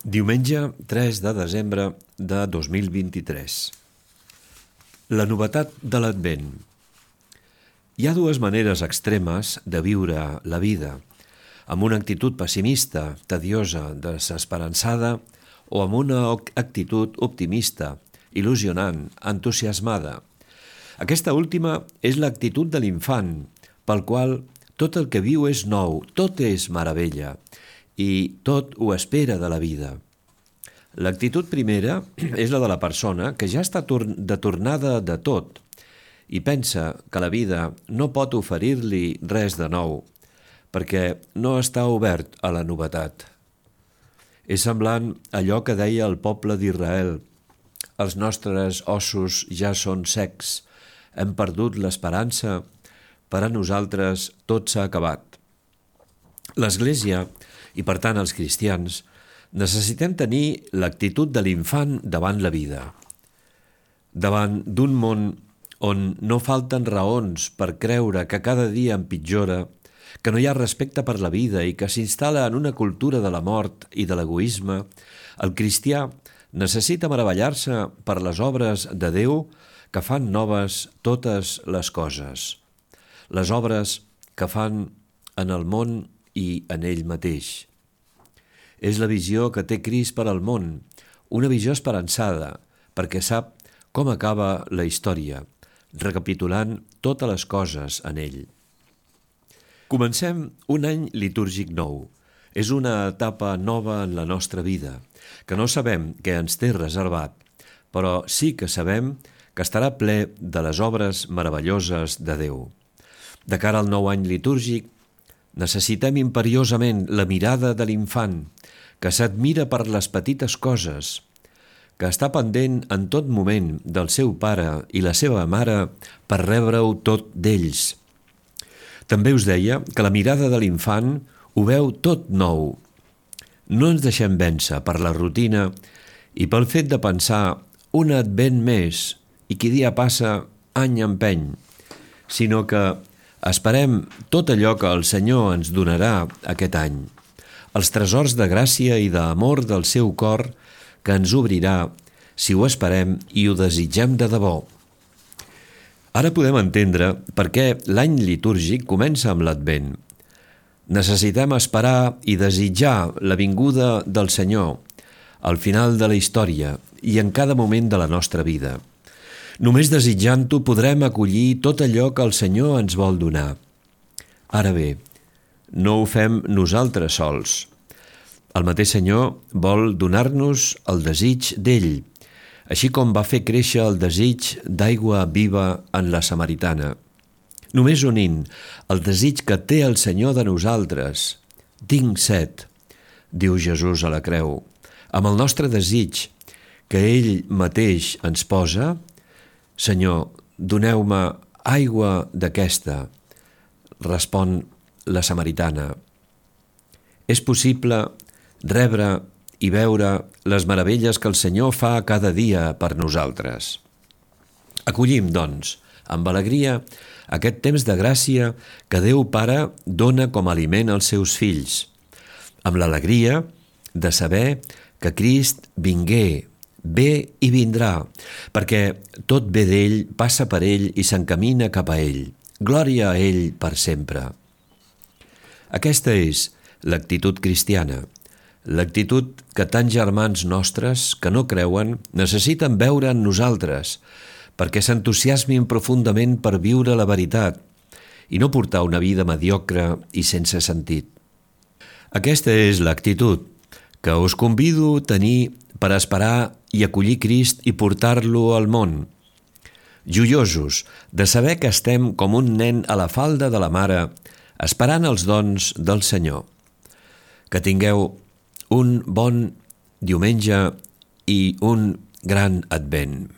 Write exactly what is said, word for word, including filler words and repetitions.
Diumenge tres de desembre de dos mil vint-i-tres. La novetat de l'Advent. Hi ha dues maneres extremes de viure la vida, amb una actitud pessimista, tediosa, desesperançada, o amb una actitud optimista, il·lusionant, entusiasmada. Aquesta última és l'actitud de l'infant, pel qual tot el que viu és nou, tot és meravella, i tot ho espera de la vida. L'actitud primera és la de la persona que ja està de tornada de tot i pensa que la vida no pot oferir-li res de nou, perquè no està obert a la novetat. És semblant a allò que deia el poble d'Israel: els nostres ossos ja són secs, hem perdut l'esperança, per a nosaltres tot s'ha acabat. L'Església, i per tant els cristians, necessitem tenir l'actitud de l'infant davant la vida. Davant d'un món on no falten raons per creure que cada dia empitjora, que no hi ha respecte per la vida i que s'instal·la en una cultura de la mort i de l'egoisme, el cristià necessita meravellar-se per les obres de Déu que fan noves totes les coses, les obres que fan en el món i en ell mateix. És la visió que té Crist per al món, una visió esperançada, perquè sap com acaba la història, recapitulant totes les coses en ell. Comencem un any litúrgic nou. És una etapa nova en la nostra vida, que no sabem què ens té reservat, però sí que sabem que estarà ple de les obres meravelloses de Déu. De cara al nou any litúrgic, necessitem imperiosament la mirada de l'infant, que s'admira per les petites coses, que està pendent en tot moment del seu pare i la seva mare per rebre-ho tot d'ells. També us deia que la mirada de l'infant ho veu tot nou. No ens deixem vèncer per la rutina i pel fet de pensar un advent més i qui dia passa any empeny, sinó que esperem tot allò que el Senyor ens donarà aquest any, els tresors de gràcia i d'amor del seu cor que ens obrirà si ho esperem i ho desitgem de debò. Ara podem entendre per què l'any litúrgic comença amb l'Advent. Necessitem esperar i desitjar la vinguda del Senyor al final de la història i en cada moment de la nostra vida. Només desitjant-ho podrem acollir tot allò que el Senyor ens vol donar. Ara bé, no ho fem nosaltres sols. El mateix Senyor vol donar-nos el desig d'ell, així com va fer créixer el desig d'aigua viva en la samaritana. Només unint el desig que té el Senyor de nosaltres, tinc set, diu Jesús a la creu, amb el nostre desig que ell mateix ens posa, Senyor, doneu-me aigua d'aquesta, respon la samaritana. És possible rebre i veure les meravelles que el Senyor fa cada dia per nosaltres. Acollim, doncs, amb alegria, aquest temps de gràcia que Déu Pare dona com a aliment als seus fills, amb l'alegria de saber que Crist vingué, ve i vindrà, perquè tot ve d'ell, passa per ell i s'encamina cap a ell. Glòria a ell per sempre. Aquesta és l'actitud cristiana, l'actitud que tants germans nostres que no creuen necessiten veure en nosaltres, perquè s'entusiasmin profundament per viure la veritat i no portar una vida mediocre i sense sentit. Aquesta és l'actitud que us convido a tenir per esperar i acollir Crist i portar-lo al món, joiosos de saber que estem com un nen a la falda de la mare, esperant els dons del Senyor. Que tingueu un bon diumenge i un gran Advent.